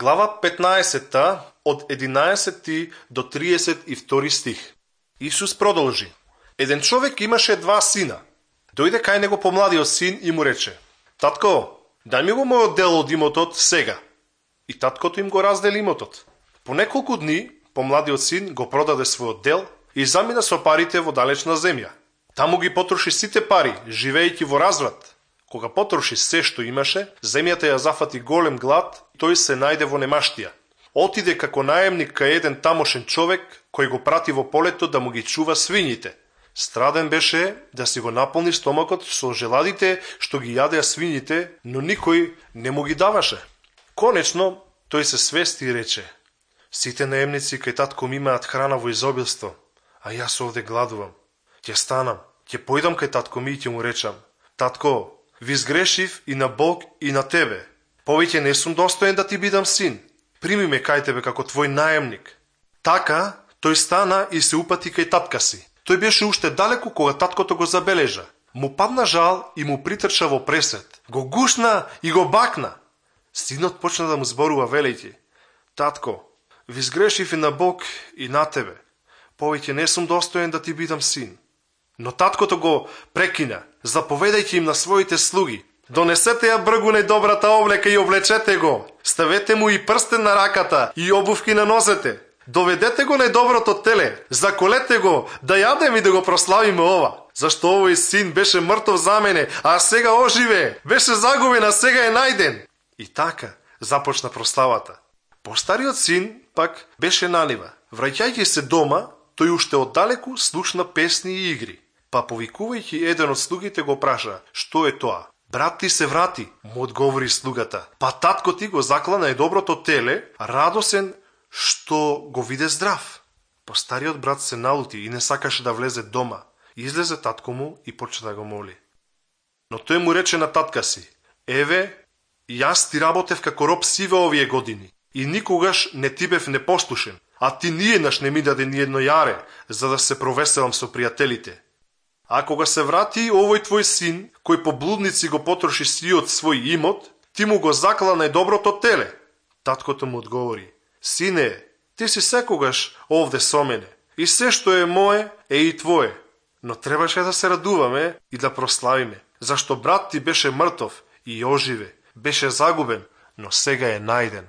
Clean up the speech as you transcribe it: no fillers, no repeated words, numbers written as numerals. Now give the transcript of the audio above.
Глава 15 од 11 до 32 стих. Исус продолжи. Еден човек имаше 2 сина. Дојде кај него помладиот син и му рече: Татко, дај ми го мојот дел од имотот сега. И таткото им го раздели имотот. По неколку дни помладиот син го продаде својот дел и замина со парите во далечна земја. Таму ги потроши сите пари, живеејќи во разврат. Кога потроши се што имаше, земјата ја зафати голем глад и тој се најде во немаштија. Отиде како наемник кај еден тамошен човек кој го прати во полето да му ги чува свињите. Страден беше да си го наполни стомакот со желадите што ги јадеа свињите, но никој не му ги даваше. Конечно, тој се свести и рече: Сите наемници кај татко ми имаат храна во изобилство, а јас овде гладувам. Ќе станам, ќе појдам кај татко ми и ќе му речам: Татко, ви сгрешив и на Бог и на тебе. Повеќе не сум достоен да ти бидам син. Прими ме кај тебе како твој наемник. Така, тој стана и се упати кај татка си. Тој беше уште далеку кога таткото го забележа. Му падна жал и му притрча во пресет. Го гушна и го бакна. Синот почна да му зборува велејќи: Татко, ви сгрешив и на Бог и на тебе. Повеќе не сум достоен да ти бидам син. Но таткото го прекина, заповедајќи им на своите слуги: Донесете ја бргу најдобрата облека и облечете го. Ставете му и прстен на раката и обувки на нозете. Доведете го најдоброто теле, заколете го, да јадем и да го прославиме ова. Зашто овој син беше мртов за мене, а сега оживе. Беше загубен, а сега е најден. И така започна прославата. Постариот син пак беше на нива. Враќајќи се дома, тој уште оддалеку слушна песни и игри. Па повикувајќи еден од слугите го праша: Што е тоа? Брат ти се врати, му одговори слугата. Па татко ти го закла најдоброто теле, радосен што го виде здрав. Постариот брат се налути и не сакаше да влезе дома. Излезе татко му и почна да го моли. Но тој му рече на татка си: Еве, јас ти работев како роб сиве овие години и никогаш не ти бев непослушен, а ти ниеднаш не ми даде ниедно јаре, за да се провеселам со пријателите. А кога се врати овој твој син, кој по блудници го потроши сиот свој имот, ти му го закла најдоброто теле. Таткото му одговори: Сине, ти си секогаш овде со мене, и се што е мое е и твое. Но требаше да се радуваме и да прославиме, зашто брат ти беше мртов и оживе, беше загубен, но сега е најден.